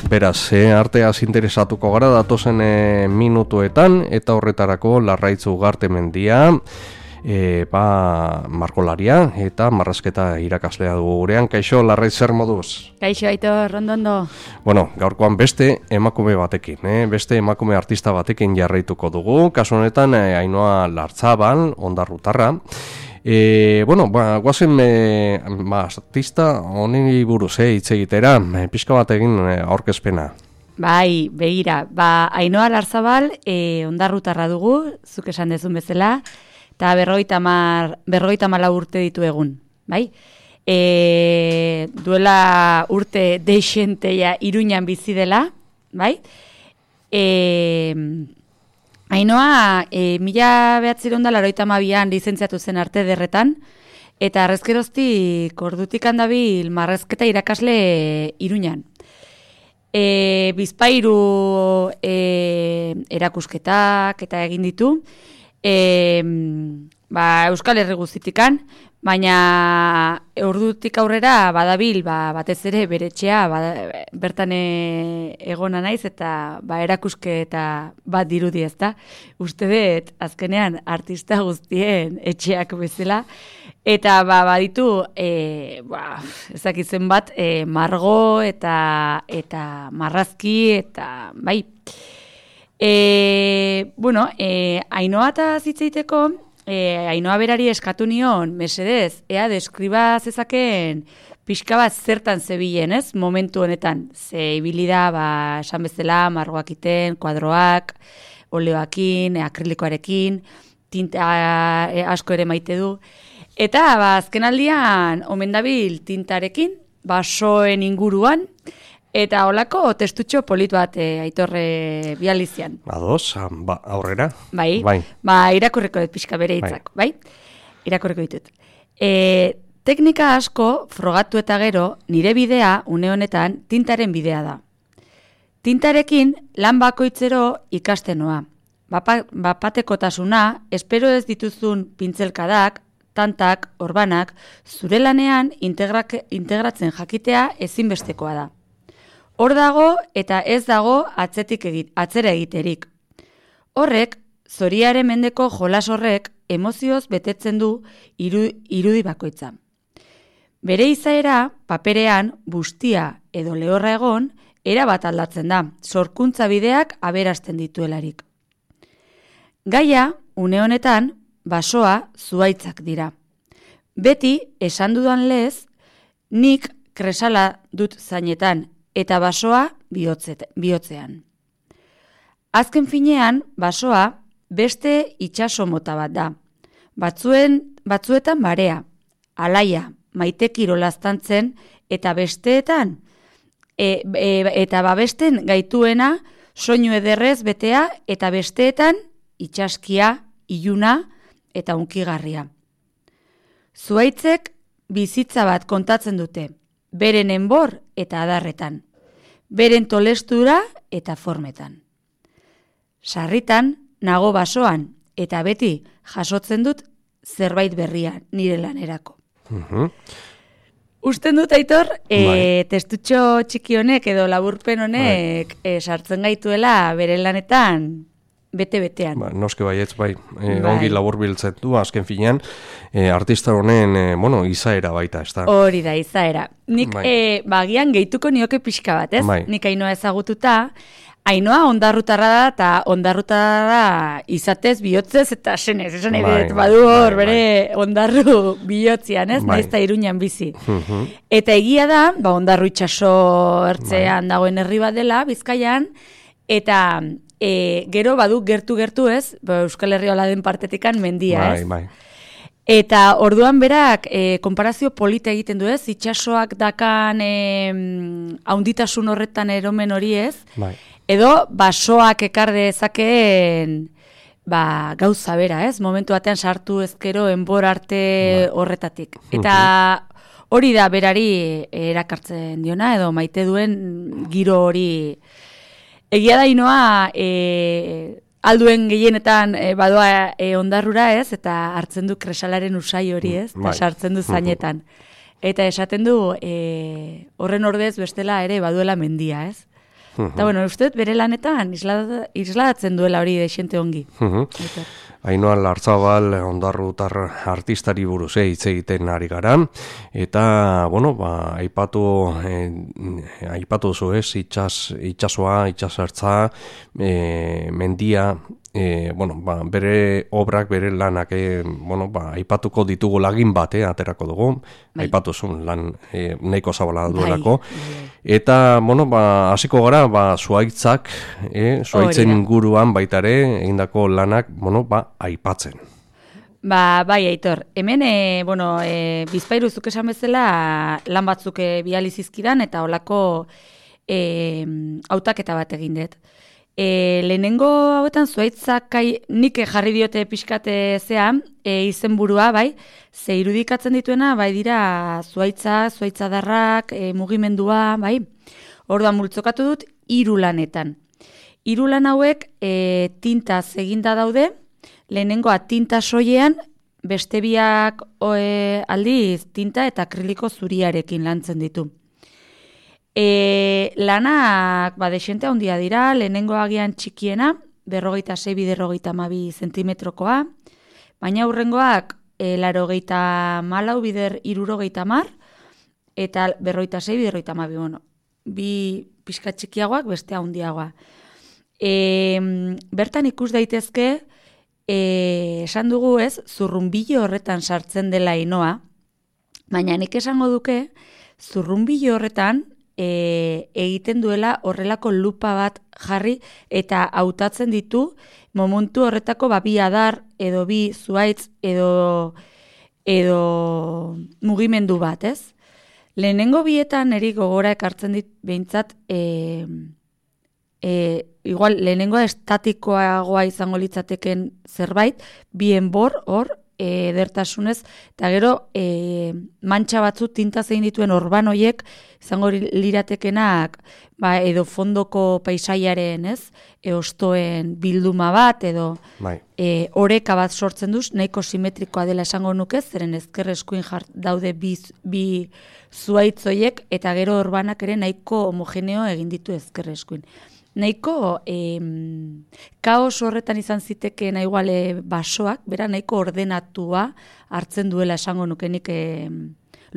Beraz, arteaz interesatuko gara datozen minutuetan, eta horretarako Larraitz Ugarte Mendia, margolaria eta marrazketa irakaslea dugu gurean. Kaixo, Larraitz, zer moduz? Kaixo, Aitor, ondo. Bueno, gaurkoan beste emakume batekin, beste emakume artista batekin jarraituko dugu. Kasu honetan, Ainhoa Lartzabal, ondarrutarra. Guazen artista honi buruz hitz egitera, pixka bat egin aurkezpena. Bai, begira, Ainhoa Lartzabal ondarrutarra dugu, zuk esan dezun bezala, eta 54 urte ditu egun, bai? Duela urte deixenteia Iruñan bizi dela, bai? Ainhoa, 1982an lizentziatu zen arte derretan, eta arrezkeroztik ordutik handabil marrazketa irakasle Iruñan. Bizpahiru erakusketak eta egin ditu, Euskal Herri guztitikan, baina ordutik aurrera badabil, batez ere bere etxea bertan egona naiz eta erakusketa bat dirudi ezta. Uste dut azkenean artista guztien etxeak bezala eta baditu ezakitzen bat margo eta marrazki eta bai. Ainhoa eta zitzeiteko, Ainhoa berari eskatu nion, mesedez, ea deskriba zezaken pixka bat zertan zebilen, ez? Momentu honetan, ze ibili da, esan bezala, margoak iten, kuadroak, oleoakin, akrilikoarekin, tinta asko ere maite du. Eta, azken aldian, omen dabil tintarekin, basoen inguruan, eta holako testutxo polit bat Aitorre bializian. Ados, aurrera. Bai. Irakurriko dut pixka bere hitzak, bai? Irakurriko ditut. Teknika asko frogatu eta gero, nire bidea, une honetan, tintaren bidea da. Tintarekin lan bakoitzero ikastenoa. Bapatekotasuna, espero ez dituzun pintzelkadak, tantak, orbanak, zure lanean integratzen jakitea ezinbestekoa da. Hor dago eta ez dago atzera egiterik. Horrek, zoriaren mendeko jolas horrek emozioz betetzen du irudi bakoitza. Bere izaera, paperean, bustia edo lehorra egon, erabat aldatzen da, sorkuntza bideak aberasten dituelarik. Gaia, une honetan, basoa zuhaitzak dira. Beti, esan dudan lez, nik kresala dut zainetan, eta basoa bihotzean. Azken finean, basoa beste itsaso mota bat da. Batzuetan barea, alaia, maite kirolaztantzen, eta besteetan, eta babesten gaituena, soinu ederrez betea, eta besteetan, itsaskia, iluna, eta unkigarria. Zuhaitzek bizitza bat kontatzen dute, beren enbor eta adarretan, beren tolestura eta formetan. Sarritan, nago basoan, eta beti jasotzen dut zerbait berria nire lanerako. Usten dut, Aitor, testutxo txiki honek edo laburpen honek sartzen gaituela bere lanetan bete-betean. Noske baietz, ongi laburbiltzen du, azken finean, artista honen, izaera baita, ez da? Hori da, izaera. Nik, bagian gehituko nioke pixka bat, ez? Nik Ainhoa ezagututa, Ainhoa ondarrutarra da, eta ondarrutarra izatez, bihotzez, eta senez, esan edet, badu hor, bere ondarru bihotzian, ez? Naizta Iruñan bizi. Eta egia da, ondarru itxaso ertzean dagoen herri bat dela, Bizkaian, eta gero badu gertu ez, Euskal Herria hola den partetikan mendia, ez? Eta orduan berak konparazio polita egiten du, ez? Itxasoak dakan haunditasun horretan eromen hori, ez? Edo basoak ekar dezakeen gauza bera, ez? Momentu batean sartu ezkero enbor arte horretatik. Eta hori da berari erakartzen diona, edo maite duen giro hori. Egia da Ainhoa alduen gehienetan badoa ondarrura, ez? Eta hartzen du kresalaren usai hori, ez? Eta sartzen du zainetan. Eta esaten du horren ordez bestela ere baduela mendia, ez? Eta, bueno, uste bere lanetan isladatzen duela hori desente ongi. Ainhoa Lartzabal ondarrutar artistari buruz hitz egiten ari gara, eta, bueno, aipatu zu ez, itsasoa, itsasertza, mendia, bere obrak, bere lanak, aipatuko ditugu lagin bat, aterako dugu, aipatu zuen lan nahiko zabala duelako, eta, hasiko gara, zuaitzak, zuaitzen inguruan baitare, egindako lanak, aipatzen. Bai, Aitor. Hemen, Bizpahiru zuk esan bezala lan batzuk bializizkidan eta holako hautaketa bat egin dut. Lehenengo hauetan zuaitzak nik jarri diote pixkate zean, izenburua, bai, ze irudikatzen dituena, bai dira zuaitzadarrak, mugimendua, bai. Orduan multzokatu dut 3 lanetan. 3 lan hauek tintaz eginda daude, lehenengoa tinta soilean, beste biak aldiz tinta eta akriliko zuriarekin lantzen ditu. Lanak desente handia dira, lehenengo agian txikiena, 46x52 zentimetrokoa, baina hurrengoak 84x60 eta 56x52, bi pixka txikiagoak beste handiagoa. Bertan ikus daitezke, esan dugu ez, zurrunbilo horretan sartzen dela Ainhoa, baina nik esango duke, zurrunbilo horretan egiten duela horrelako lupa bat jarri eta hautatzen ditu momentu horretako bi adar edo bi zuaitz edo mugimendu bat, ez? Lehenengo bietan eri gogora ekartzen dit behintzat igual lehenengoa estatikoagoa izango litzateken zerbait, bien hor edertasunez, eta gero mantxa batzu tinta zein dituen orban hoiek izango liratekenak edo fondoko paisaiaren, ez? Ostoen bilduma bat edo oreka bat sortzen duz, nahiko simetrikoa dela esango nuke, zeren ezker eskuin daude bi zuaitz hoiek eta gero orbanak ere nahiko homogeneo egin ditu ezker eskuin. Nahiko kaos horretan izan zitekeen igual basoak, bera nahiko ordenatua hartzen duela esango nukenik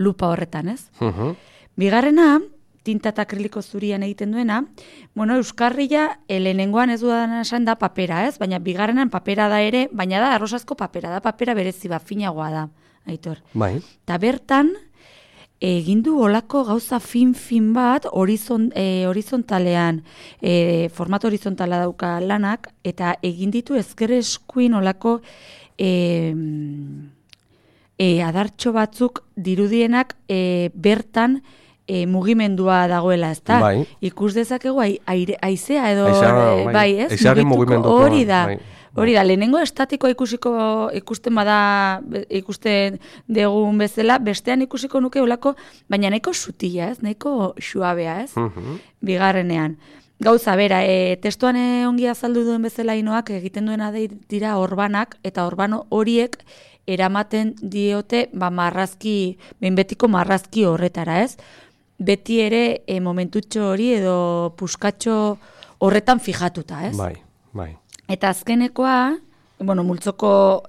lupa horretan, ez? Bigarrena, tinta eta akriliko zurian egiten duena, euskarria lehenengoan ez dudan esan da papera, ez? Baina bigarrenan papera da ere, baina da arrosazko papera, da papera berezi finagoa da, Aitor. Bai. Ta bertan, egin du olako gauza fin bat horizontalean, formato horizontala dauka lanak, eta egin ditu ezker eskuin olako adartxo batzuk dirudienak bertan mugimendua dagoela, ezta? Bai. Ikus dezakegu haizea edo bai, ez? Haizearen mugimenduko. Hori da. Hori da, lehenengo estatikoa ikusten degun bezala, bestean ikusiko nuke olako, baina nahiko sutila, ez? Nahiko suabea, ez? Bigarrenean. Gauza, bera, testuan ongi azaldu duen bezala Ainhoak egiten duena dira orbanak, eta orbano horiek eramaten diote marrazki, behinbetiko marrazki horretara, ez? Beti ere momentutxo hori edo puskatxo horretan fijatuta, ez? Bai. Eta azkenekoa, multzoko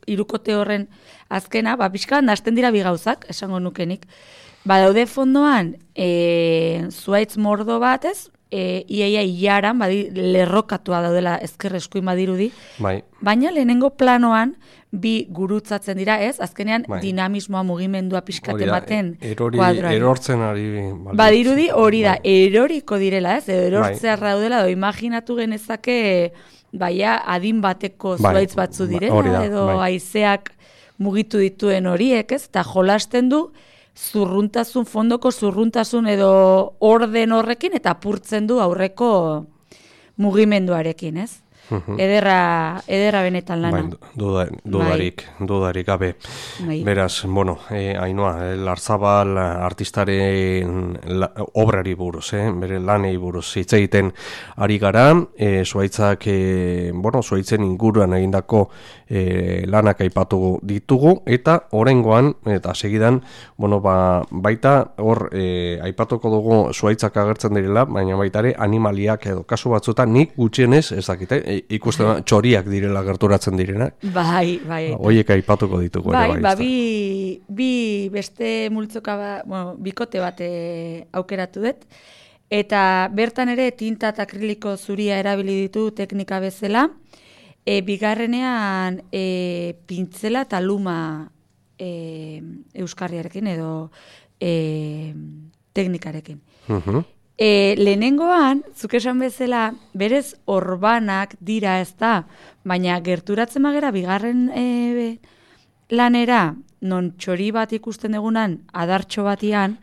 hirukote horren azkena, pixkan hasten dira bi gauzak, esango nukenik. Daude fondoan, zuaitz mordo bat, ez? Iaia ilaran, lerrokatua daudela ezker eskuin badirudi. Bai. Baina lehenengo planoan, bi gurutzatzen dira, ez? Azkenean, dinamismoa, mugimendua pixkate baten kuadroan. Erortzen ari. Badirudi hori da, eroriko direla, ez? Erortzea daudela, imaginatu genezake adin bateko zuaitz batzu direla, edo haizeak mugitu dituen horiek, ez? Eta jolasten du, fondoko zurruntasun edo orden horrekin, eta apurtzen du aurreko mugimenduarekin, ez? Ederra benetan lana. Dudarik gabe. Beraz, bueno, Ainhoa, Larzabal artistaren obrari buruz, bere lanei buruz hitz egiten ari gara, Zuhaitzak, Zuhaitzen inguruan egindako lanak aipatu ditugu, eta oraingoan, eta segidan, baita hor aipatuko dugu Zuhaitzak agertzen direla, baina baita ere animaliak edo kasu batzuetan nik gutxienez ez dakite, ikusten txoriak direla gerturatzen direnak. Bai. Hoiek aipatuko ditugu ere bai. Bi beste multzoka, bikote bat aukeratu dut, eta bertan ere tinta eta akriliko zuria erabili ditu teknika bezala, bigarrenean pintzela eta luma euskarriarekin edo teknikarekin. Lehenengoan, zuk esan bezala, berez orbanak dira ez da, baina gerturatzen magera bigarren lanera, non txori bat ikusten egunan, adartxo batian,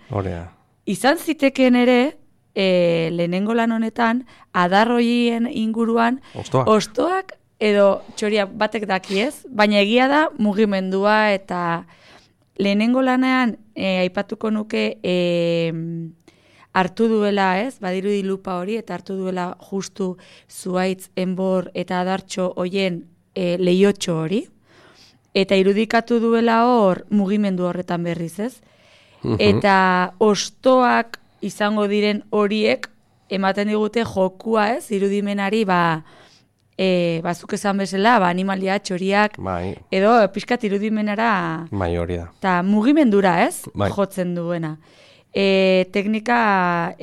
izan ziteken ere, lehenengo lan honetan, adarroien inguruan, ostoak edo txoriak batek dakiez, baina egia da mugimendua eta lehenengo lanean aipatuko nuke hartu duela, badirudi lupa hori, eta hartu duela justu Zuhaitz, Enbor eta Adartxo hoien lehiotxo hori, eta irudikatu duela hor mugimendu horretan berriz, ez? Eta ostoak izango diren horiek ematen digute jokua, irudimenari, bazuk esan bezala, animalia, txoriak, edo pixkat irudimenara, hori da. Eta mugimendura, jotzen duena. Teknika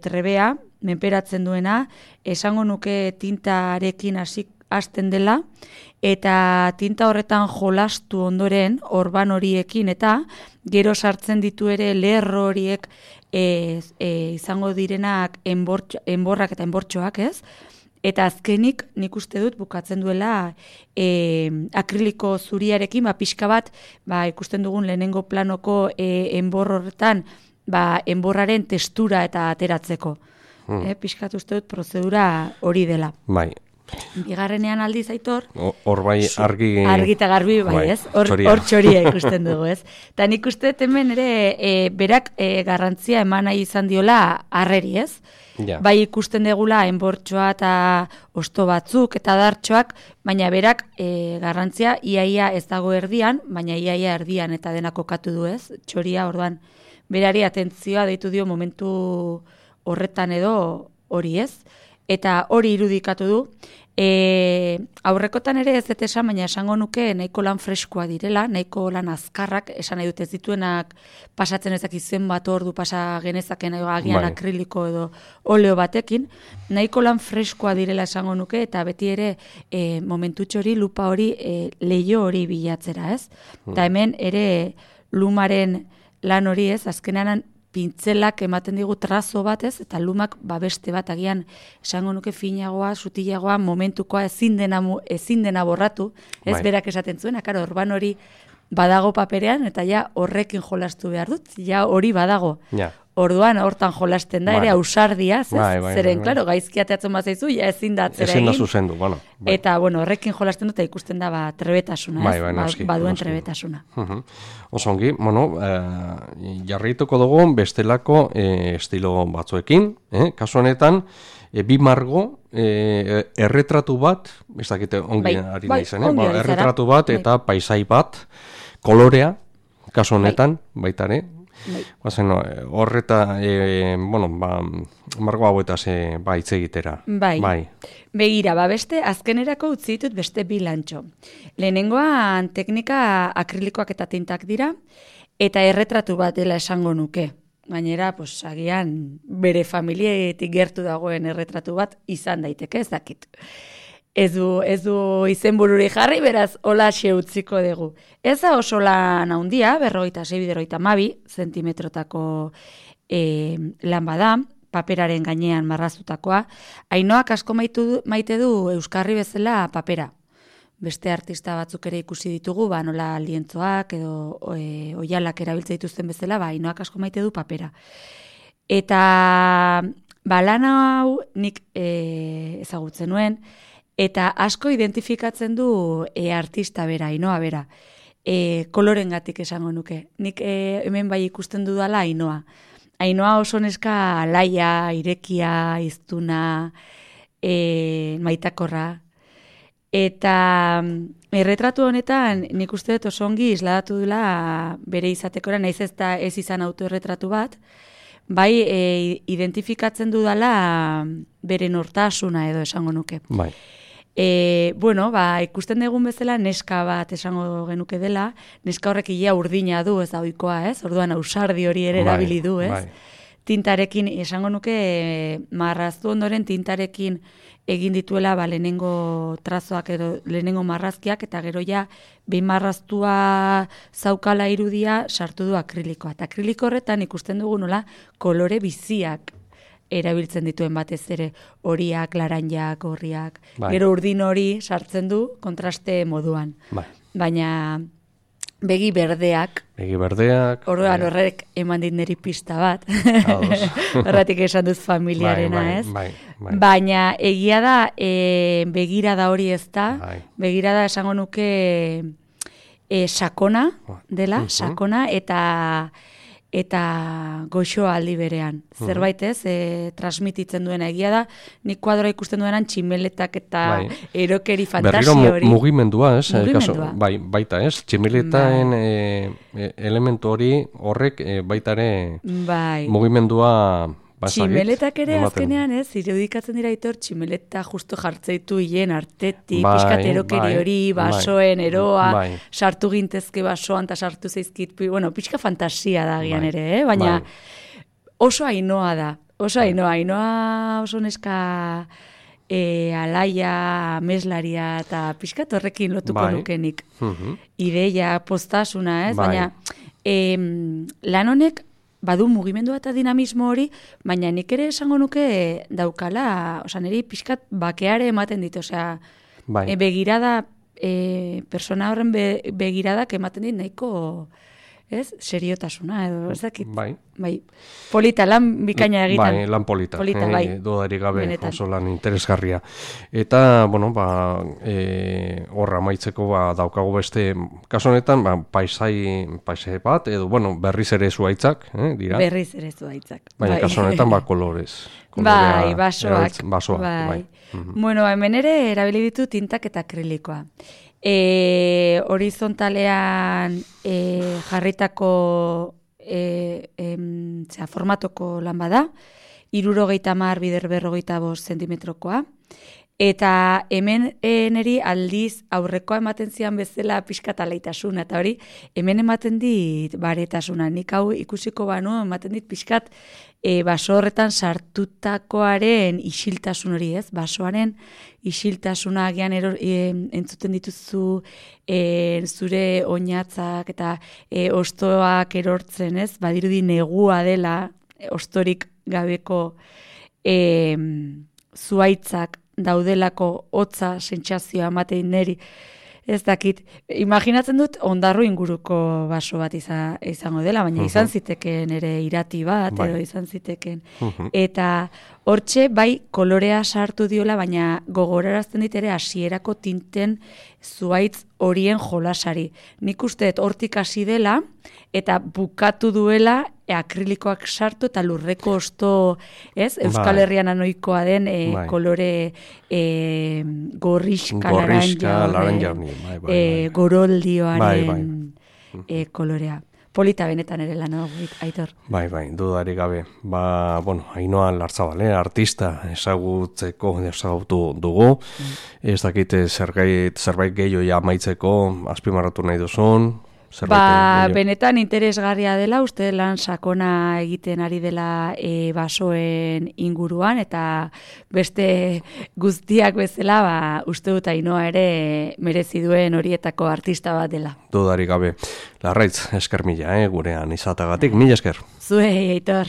trebea, menperatzen duena, esango nuke tintarekin hasten dela, eta tinta horretan jolastu ondoren, orban horiekin, eta gero sartzen ditu ere lerro horiek izango direnak enborrak eta enbortxoak, Eta azkenik nik uste dut bukatzen duela akriliko zuriarekin, pixka bat, ikusten dugun lehenengo planoko enbor horretan, enborraren testura eta ateratzeko. Pixkat uste dut prozedura hori dela. Bai. Bigarrenean aldiz Aitor. Hor bai argi eta garbi, hor txoria ikusten dugu, Eta nik uste hemen ere berak garrantzia eman nahi izan diola harreri, Bai ikusten degula enbortxoa eta osto batzuk eta adartxoak, baina berak garrantzia iaia ez dago erdian, baina iaia erdian eta dena kokatu du, Txoria, orduan, berari atentzioa deitu dio momentu horretan edo hori, Eta hori irudikatu du. Aurrekotan ere ez dut esan, baina esango nuke nahiko lan freskoa direla, nahiko lan azkarrak, esan nahi dut ez dituenak pasatzen ezak izen bat ordu pasa genezaken agian akriliko edo oleo batekin, nahiko lan freskoa direla esango nuke, eta beti ere momentutxo hori, lupa hori, leio hori bilatzera, Eta hemen ere lumaren lan hori, azkenean pintzelak ematen digu trazo bat, eta lumak beste bat agian esango nuke finagoa, sutilagoa, momentukoa ezin dena borratu, berak esaten zuen, orban hori badago paperean, eta ja horrekin jolastu behar dut, ja hori badago. Orduan hortan jolasten da, ere ausardia, zeren, klaro, gaizki ateatzen bat zaizu, ja ezin da atzera egin. Ezin da zuzendu, Eta, horrekin jolasten dut, eta ikusten da trebetasuna, baduen trebetasuna. Osongi, jarrituko dugu bestelako estilo batzuekin, kasu honetan, bi margo, erretratu bat, ez dakite ongi ari nahi zen, erretratu bat eta paisai bat, kolorea, kasu honetan, baita ere, horreta, margo hauetaz hitz egitera. Bai. Begira, beste azkenerako utzi ditut beste bi lantxo. Lehenengoan teknika akrilikoak eta tintak dira, eta erretratu bat dela esango nuke. Gainera, agian bere familietik gertu dagoen erretratu bat izan daiteke, ez dakit. Ez du izenbururi jarri, beraz, hola utziko dugu. Ez da oso lan handia, 46-52 zentimetrotako lan bada, paperaren gainean marraztutakoa. Ainhoak asko maite du euskarri bezala papera. Beste artista batzuk ere ikusi ditugu, nola lientzoak edo oialak erabiltza dituzten bezala, Ainhoak asko maite du papera. Eta lan hau nik ezagutzen nuen, Eta asko identifikatzen du artista bera, Ainoa bera. Kolorengatik esango nuke. Nik hemen bai ikusten dudala Ainoa. Ainoa oso neska alaia, irekia, iztuna, maitakorra. Eta erretratu honetan nik uste dut oso ongi isladatu dula bere izatekora, naiz ez izan autoerretratu bat, bai identifikatzen dudala bere nortasuna edo esango nuke. Bai. Ikusten dugun bezala neska bat esango genuke dela, neska horrek ia urdina du, ez da ohikoa, ez? Orduan ausardi hori ere erabili du, ez? Bai. Tintarekin, esango nuke, marraztu ondoren tintarekin egin dituela lehenengo trazoak edo lehenengo marrazkiak, eta gero ja behin marraztua zaukala irudia sartu du akrilikoa. Eta akriliko horretan ikusten dugu nola kolore biziak erabiltzen dituen batez ere, horiak, laranjak, gorriak. Bai. Gero urdin hori sartzen du kontraste moduan. Bai. Baina begi berdeak. Orduan horrek eman dit niri pista bat. Horretik esan dut familiarena, ez? Bai. Baina egia da, begirada hori ez da. Bai. Begirada esango nuke sakona dela, sakona, eta goxoa aldi berean. Zerbait ez, transmititzen duena egia da, nik kuadroa ikusten duenan tximeletak eta erokeri fantasio hori. Berriro mugimendua, ez? Mugimendua. Baita, ez? Tximeletaen elementu hori horrek baitare mugimendua tximeletak ere azkenean, ez? Irudikatzen dira Aitor, tximeleta justo jartzeitu hien artetik, pixkat erokeri hori, basoen, eroa, sartu gintezke basoan, eta sartu zeizkit, pixka fantasia da gian ere, baina oso Ainoa da. Ainoa oso neska alaia, meslaria, eta pixkat horrekin lotuko nukenik. Ideia, postasuna, ez? Baina lan honek badu mugimendua eta dinamismo hori, baina nik ere esango nuke daukala, niri pixkat bakeare ematen dit, begirada, persona horren begiradak ematen dit nahiko, ez, seriotasuna, edo, ez dakit. Bai. Polita, lan bikaina egiten. Bai, lan polita. Dudarik gabe, benetan. Oso lan interesgarria. Eta, horra maitzeko daukagu beste, kasu honetan, paisai bat, edo, berriz ere zuaitzak, dira? Berriz ere zuaitzak. Baina, kasu honetan, kolorez. Bai, basoak. Bai. Hemen ere erabili ditu tintak eta akrilikoa. Horizontalean jarritako formatoko lan bada, 70x45 zentimetrokoa, eta hemen niri aldiz aurrekoa ematen zian bezala pixkat alaitasuna, eta hori hemen ematen dit baretasuna. Nik hau ikusiko banu ematen dit pixkat baso horretan sartutakoaren isiltasun hori, ez? Basoaren isiltasuna agian entzuten dituzu zure oinatzak eta ostoak erortzen, ez? Badirudi negua dela ostorik gabeko zuaitzak daudelako hotza sentsazioa ematen niri. Ez dakit, imaginatzen dut ondarru inguruko baso bat izango dela, baina izan ziteken ere irati bat, edo izan ziteken. Eta hortxe, bai, kolorea sartu diola, baina gogorarazten dit ere hasierako tinten zuaitz horien jolasari. Nik uste hortik hasi dela, eta bukatu duela akrilikoak sartu eta lurreko osto, ez? Euskal Herrian anoikoa den kolore gorrixka laranja, goroldioaren kolorea. Polita benetan ere lan hau, Aitor. Bai, dudarik gabe. Ainoa Lartzabal, artista ezagutu dugu. Ez dakit zerbait gehiago amaitzeko azpimarratu nahi duzun. Benetan interesgarria dela, uste lan sakona egiten ari dela basoen inguruan, eta beste guztiak bezala, uste dut Ainoa ere merezi duen horietako artista bat dela. Dudarik gabe. Larraitz, esker mila, gurean izatagatik. Mila esker. Zuei, Aitor.